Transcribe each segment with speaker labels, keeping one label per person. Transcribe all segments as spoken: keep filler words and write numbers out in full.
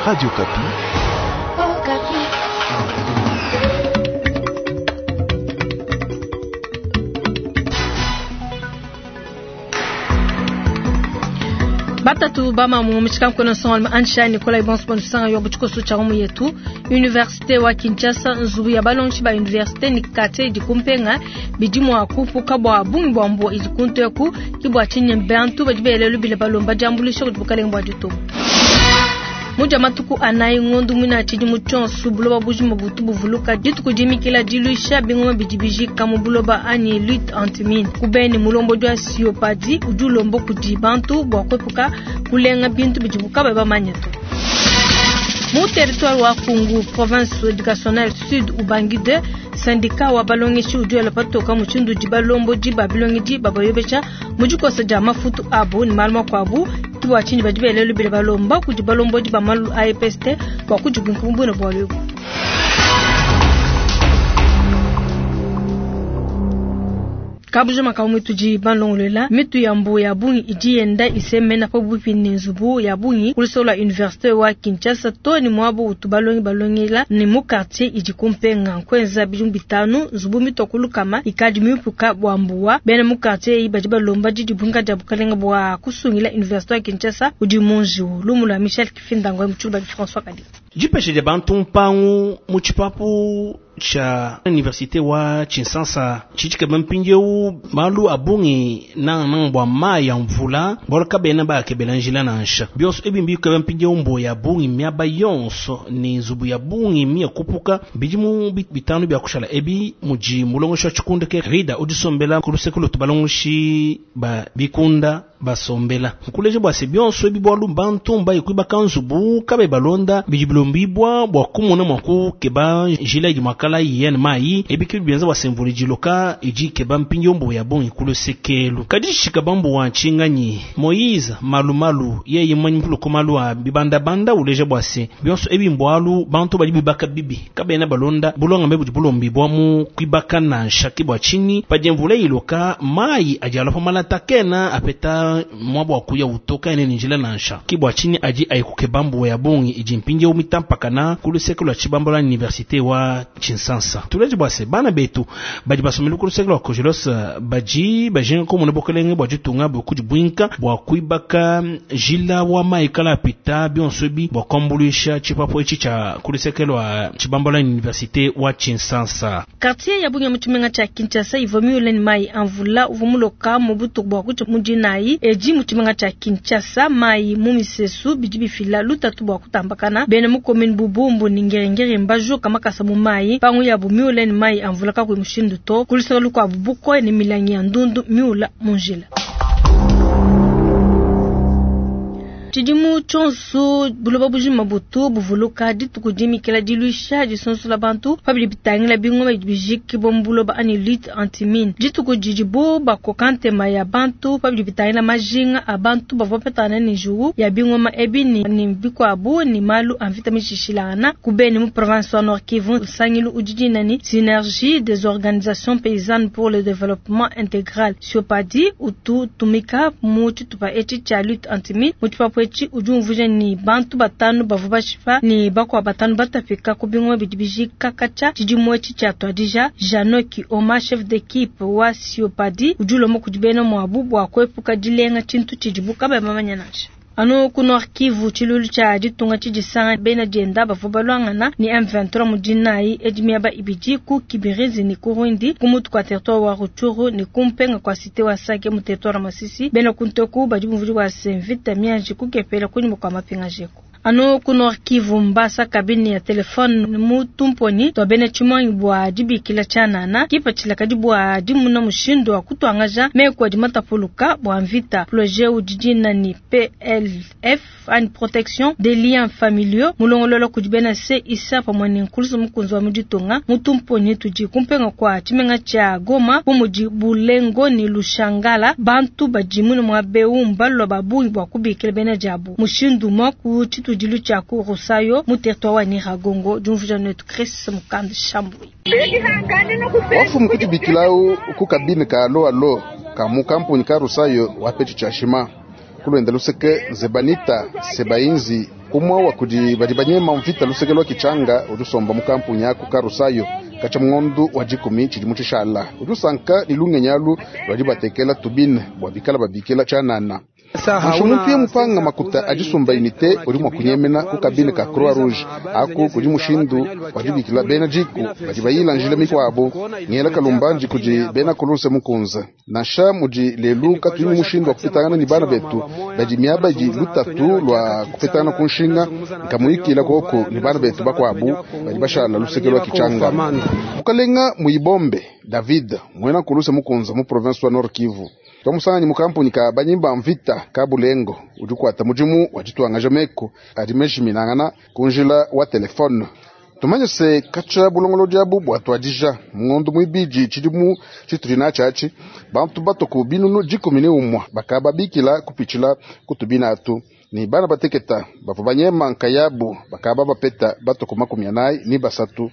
Speaker 1: Radio Okapi.
Speaker 2: Batatu bamamu mutshikankono nsongalume Ansha Nikolai Bonso sanga yo butshikoso tshia mu yetu Université wa Kinshasa nzubu ya balongeshi ba université ni quartier idi kumpenga bidi mua kupuka bua bungi bua mbuwa idi kunteku ki bua tshinyi bantu badi belelu bile balomba diambuluisha kudi bukalenge bua ditunga. Muja matuku anayi ngondu mwina tshidimu tshionso buloba bujima butu buvuluka dituku dimikila diluisha bingoma bidi bijika mu buloba anyi lutte antimine kubeni mulombodi wa siopadi udi ulomba kudi bantu bua kwepuka kulenga bintu bidi bukaba bamanye to. Mu territoire wa Kungu province éducationnelle sud Ubangi deux syndicat wa balongeshi udi wela patoka mushindu udi balombodi ba bilongedi babayobesha mu dikosa dia mafutu abu ne malu makuabu bua tshinyi badi belelu bile balomba kudi balombodi ba malu a E P S T bua kudibunkumbuna bualu ebu. Kabujo makamu tudi balongolela mitu ya mbu ya bungi idi yenda isemena pa bupi ne nzubu ya bungi kulisola université wa Kinshasa to ni mwabo utu balongi balongela ni mu quartier idi kumpenga nkwenza bidimu bitanu nzubu mitokulu kama ikadi mipuka bua mbuwa bena mu quartier iyi badi balomba didi bunga dia bukalenga bua kusungila université wa Kinshasa udi munjiu lumula Michel Kifindango mutshulu ba François Kadi
Speaker 3: Jipeshe dia bantu mpangu mu tshipapu cha université wa Tshinsansa tshitshike mpindieu malu abungi na na bua mayi ya mvula bolo kabena bakebela njila nansha bionso ebi mbikebe mpindieu mbo ya bungi miaba yonso ni nzubu ya bungi mia kupuka bidimu bitanu bya kushala ebi muji mulongosha wa tshikunde ke rida udisombela ku luseke lutu balongoshi ba bikunda basombela nkuleje bua se bionso ebi bwalu bantu mbayi kuibaka nzubu kabe balonda bidi bilombibwa bua kumona mua kukeba njila idi mwakala yen mai ebi kibi bienza bua semvuli jiloka idi keba mpindieu mbo ya bungi ku lusekelu kadi shika bambu wa nshinganyi Moïse malumalu yeye mmanyi mpuluko malu a bibandabanda uleje bua se bionso ebi mbwalu bantu badi bibaka bibi kabena balonda bulonga mbe budi bulombibwa mu kuibaka nansha ki bua tshinyi padi mvula iloka mai adi alua pa malata kena apeta mwabo wa kuya utoka ene njila nansha ki bua tshinyi adi ayikuke bambu ya bungi idi mpindieu mitampakana ku luseke lua tshibambo la université wa Tshinsansa tuleje bua se bana betu badi basomela ku luseke lua Kojelos badi bajinga komona bokelenge bua ditunga bokudi bwinka bua kuibaka jila wa mai kala apita bionso ebi bua kuambuluisha tshipapu etshi tshia ku luseke lua tshibambo la université wa Tshinsansa.
Speaker 2: Quartier ya bungi mu tshimenga tshia Kinshasa ivua miule ne mai a mvula uvua muloka mu butuku bua kutshia mu dinayi edi mu tshimenga tshia Kinshasa mai mu misesu bidi bifila lutatu bua kutambakana bena mu commune Bubumbu ni Ngerengere mbajuka makasa mu mai pangu ya miule ne mai a mvula kakuyi mushindu to ku luseke lukuabu bukoya ne milangi ya ndundu miula mu njila. Tshidimu tshionso buloba bujima butu buvuluka dituku dimikila diluisha disonsola bantu pabidi bitangila bingoma bijiki bo mu buloba anyi lutte antimine dituku didibo bakoka ntema ya bantu pabidi bitangila majinga a bantu bavua bapetana ne njuwu ya bingoma ebi ni, ni bikuabu ni malu a mvita mishishilangana ku Beni mu province wa Nord Kivu nsangilu udi dina ni synergie des organisations paysannes pour le développement intégral Siopadi utu tumika mu tshitupa etshi tshia lutte antimine mu tshipapu etshi udi umvuija ni bantu batanu bavua bashipa ni bakwa batanu batapika ku bingoma bidi bijika katshia tshidimu etshi tshia tuadija Janoki Oma chef d'équipe wa Siopadi udi ulomba kudi bena muabu bua kuepuka dilenga tshintu tshidibu kabayi bamanya nansha. Anu ku Nord Kivu tshilulu tshia ditunga tshidisanga bena dienda bavua balwangana ni M vingt-trois mu dinayi edi miaba ibidi ku Kibirizi ni ku Rwindi ku mutu kwa territoire wa Rutshuru ni ku mpenga kwa cité wa Sake mu territoire wa Masisi bena kunteku badi bumvudi wa Senvita mianji kukepela kunyuma kwa mapinga jeko. Anu ku Nord Kivu mbasa kabini ya telefone mu tumponi twa bena tshimanyi bua dibikila tshianana kipatshila kadi bua dimuna mushindu wa kutuangaja meku adi matapuluka bua mvita projet udi dina ni P L F and protection des liens familiaux mulongolola kudi bena C isa pamwe ne nkulusu mukunzi wa muditunga mu tumponi tudi kumpenga kwa tshimenga tshia Goma bu mudi Bulengo ni Lushangala bantu badi mune mua beu mbalwa ba bungi bua kubikila bena diabu mushindu mwa ku tshitu dilu tshia ku Rusayo mu territoire wa Nyiragongo diumvuija netu Chris Mukanda Shambui.
Speaker 4: Wafumu kudibikilawu ku kabine ka alo alo ka mu kampuni ka Rusayo wa pechi tshia shima kulwenda luseke Nzebanita Sebainzi Umwe wa kudi badi banyema mvita luseke lwa Kichanga udi usomba mu kampuni aku Karusayo kacha mungondu wa dikumi tshidimu tshishala udi usanka ni lungenyi alu lwadi batekela tubine bua bikala babikila tshianana. Nansha muntu ye mupanga makuta adisumba unité udi mua kunyemena ku kabine ka Croix Rouge aku kudi mushindu wadibikila bena diku badi bayila njila mikuabu ngela kalumbandi kudi bena kuluse mukunza. Nansha mudi lelu katuyi mushindu wa kupetangana ni bana betu badi miaba idi lutatu lwa kupetangana ku nshinga nkamuyikila koko ni bana betu bakuabu badi bashala luseke lwa Kichanga. Mukalenga Muibombe David mwena kuluse mukunza mu province wa Nord Kivu twamusanganyi mu kampuni ka banyimba mvita ka Bulengo udi kuata mudimu wa ditwanga meko adi meshiminangana kunjila wa telefone. Tumanye se kacha bulongolo diabu bua twadija mungondo mwibidi tshidimu tshitudi natshiatshi bantu batoku binunu dikumi ne umwa bakaba bikila kupitshila kutubina atu ni bana bateketa bavua banyema nkayabu bakaba bapeta batoku makumi anayi ni basatu.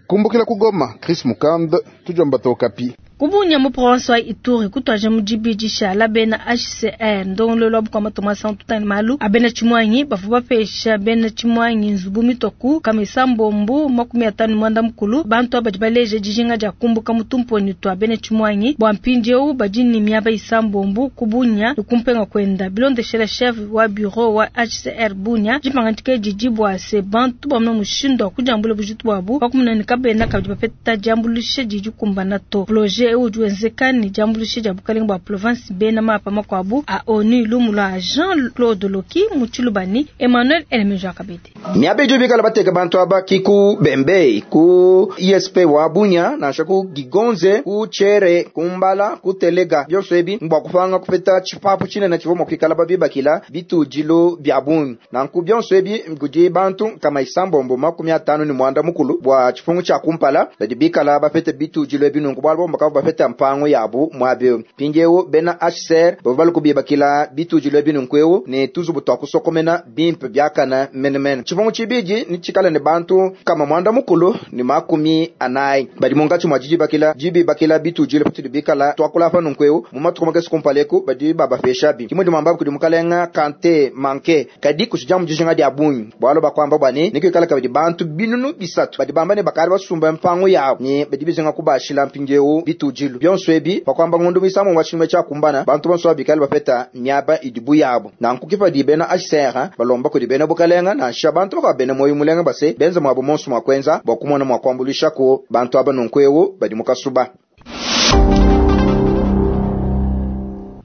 Speaker 4: Kumbukila kugoma Chris Mukand tujomba tokapi.
Speaker 2: Kubunya mu province wa Ituri kutwaje mu dibidi shala bena H C R ndongolo lwa bukama Thomas Ntutani malu abena chimwanyi bavu bapesha bena chimwanyi nzubu mitoku kamisa mbombu makumi atanu mwanda mukulu bantu abadi baleje dijinga dia kumbuka mutumponi twa bena chimwanyi bwa mpindieu badi ni miaba isambombu kubunya kumpenga kwenda bilondeshela chef wa bureau wa H C R Bunya jipangantike didi bwa se bantu bamna mushindo wa kujambula bujitu bwabu pakumuna kabena kabidi bapeta jambulishe didi kumbana to projet udi wenzeka ni jambulishe dia bukalenga bua province bena mapa makuabu a ONU lumula Jean-Claude Loki Mutshilubani Emmanuel Elemeja Kabete.
Speaker 1: Miabe idi bikala bateka bantu aba ki ku Bembe ku I S P wa Bunya nansha ku Gigonze ku Chere ku Mbala ku Telega byonso ebi mbwa kupanga kupeta tshipapu tshinene tshivua mua kuikala babibakila bitudilu bia bungi. Nanku byonso ebi kudi bantu kama isambombo makumi atanu ni mwanda mukulu bua tshipungu tshia kumpala badi bikala bapete bitudilu ebi nunku bualu bomba kavu bapete mpango yabu mwabe. Mpindieu bena H C R bavua balukubibakila bitudilu ebi nunku eu ne tuzubu twa kusokomena bimpe biakana menemene. Tshipungu tshibidi ni tshikala ne bantu kama mwanda mukulu ni makumi anayi badi munkatshi mwa didibakila dibibakila bitudilu patudi bikala twakula pa nunku eu mu matuku makese kumpala eku badi babapesha bi. Kimwe dimamba kudi mukalenga Kante Manke kadi kushija mu dijinga dia bungi bualu bakwamba bua ne nikuikala kabidi bantu binunu bisatu badi bamba ne bakali basumba mpango yabu ne badi bizinga kubashila mpindieu bitudilu byonso ebi pakwamba ngundu misamu wa tshimwe tshia kumbana bantu bonso babikali bapeta miaba idibu yabo. Nanku kipadi bena H C R balomba kudi bena bukalenga nansha bantu bakwa bena moyo mulenga base benza mwabo monso mwa kwenza bwa kumona mwa kwambulisha ko bantu aba nunku eu badi mukasuba.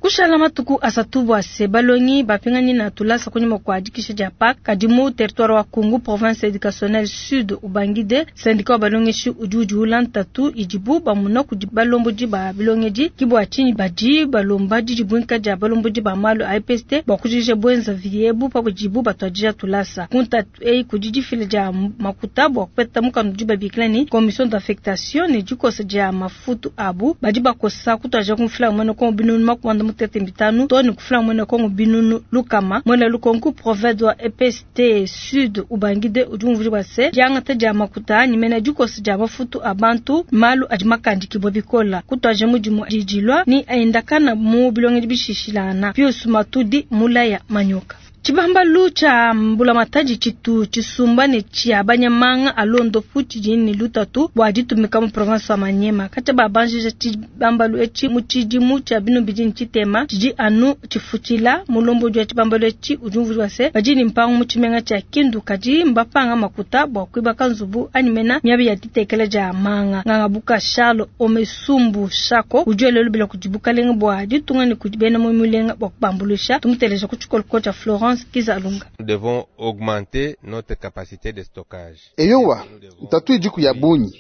Speaker 2: Kushala matuku asatu bua se balongi bapingani na tulasa kunyima kwa dikisha dia P A C kadi mu territoire wa Kungu province éducationnelle sud ubangide syndicat wa balongeshi udi udiula ntatu idibu bamuna kudi balombodi ba bilongedi kibua tshinyi badi balomba didibwinka dia balombodi ba malu a E P S T bua kujija bwenza viebu pa budibu batwadija tulasa. Ku ntatu eyi kudi difila dia makuta bua kupeta mukanda udi babikila ni commission d'affectation ne dikosa dia mafutu abu badi bakosa kutwaja kumfila mwene kongo binunu makumanda mutete mitanu to ni kufula mwene kongo binunu lukama mwene lukonku province wa E P S T sud ubangide udi umvuli wa se diangata dia makuta ni mena dikosa dia mafutu abantu malu adi makandikibwa bikola kutwaja mudimu didilwa ni aendakana mu bilongedi bishishilana Pius Matudi mulaya manyoka. Tshibambalu tsha mbulamatadi tshitu tshisumba ne tshia banyamanga alondo futi dini lutatu bua ditumika mu province wa Maniema. Katshia babanjija tshibambalu etshi mu tshidimu tshia binu bidi tshitema tshidi anu tshifutshila mulombodi wa tshibambalu etshi udi umvuija se badi ne mpangu mu tshimenga tshia Kindu kadi mbapanga makuta bua kuibaka nzubu anyi mena miabi ya ditekela dia manga. Nganga buka Charles Omesumbu Shako udi elelo bila kudi bukalenga bua ditunga ne kudi bena mu mulenga bua kubambulisha. Tumuteleja ku tshikoloko tshia Florence Kizalunga.
Speaker 5: Nous devons augmenter notre capacité de stockage.
Speaker 4: Eyowa, ntatu idiku ya bunyi.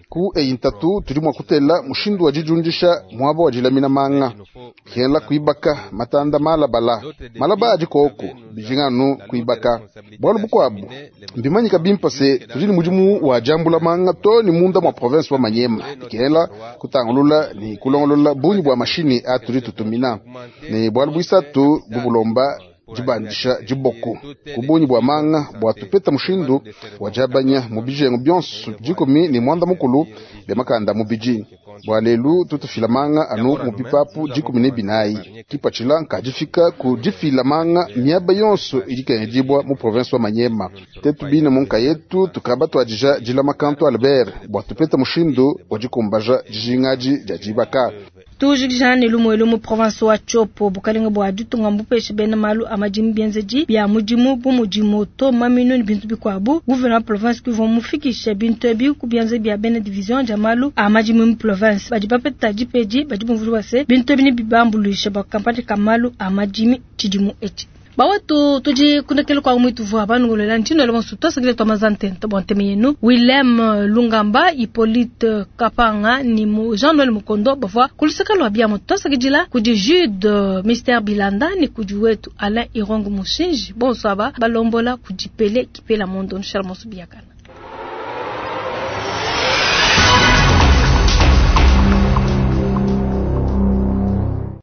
Speaker 4: Ku eyi ntatu tudi mua kutela mushindu wa dijundisha muaba wa dilamina manga. Kela kuibaka matanda malabala. Malaba adi koko, bijinganu kuibaka. Bualu bukuabu, mbimanyika bimpa se tudi ne mudimu wa jambula manga to ni munda mwa province wa Maniema. Kela kutangulula ni kulongolola bunyi bua mashini atudi tutumina. Ne bualu buisatu bubulomba dibandisha diboko kubunyi bua manga bua tupeta mushindu wa jabanya mu bijengo byonso dikumi ni mwanda mukulu bya makanda mu biji. Bua lelu tutufila manga anu mu bipapu dikumi ne binayi. Kipatshila nkadifika ku difila manga miaba yonso idi ikengedibua mu province wa Maniema. Tetu bine mu nkayetu tukaba tuadija dilama kantu Albert bua tupeta mushindu wa dikumbaja dijingadi dia dibaka.
Speaker 2: Tujikija ne lumuelu mu province wa Tshopo bukalenga bua ditunga mbupeshe bena malu a madimi bienzedi bia mudimu bu mudi moto maminu ne bintu bikuabu. Gouverneur wa province kuvua mufikishe bintu ebi ku bianza bia bena division dia malu a madimi mu province. Badi bapeta dipedi badi bumvua se bintu ebi nebibambuluishe bua kampanye ka malu a madimi tshidimu etshi. Bawetu tudi kundekele kwa mwitu vua banungulela ntino le bonso twasakile twa mazante bwa nteme yenu Willem Lungamba Hippolyte Kapanga ni mu Jean Noël Mukondo bavua kuluseka lwa biamo twasakidila kudi Jude Mister Bilanda ni kudi wetu Alain Irongo Mushinji bonso aba balombola kudi Pele Kipela Mondo Nshala Monso Biakana.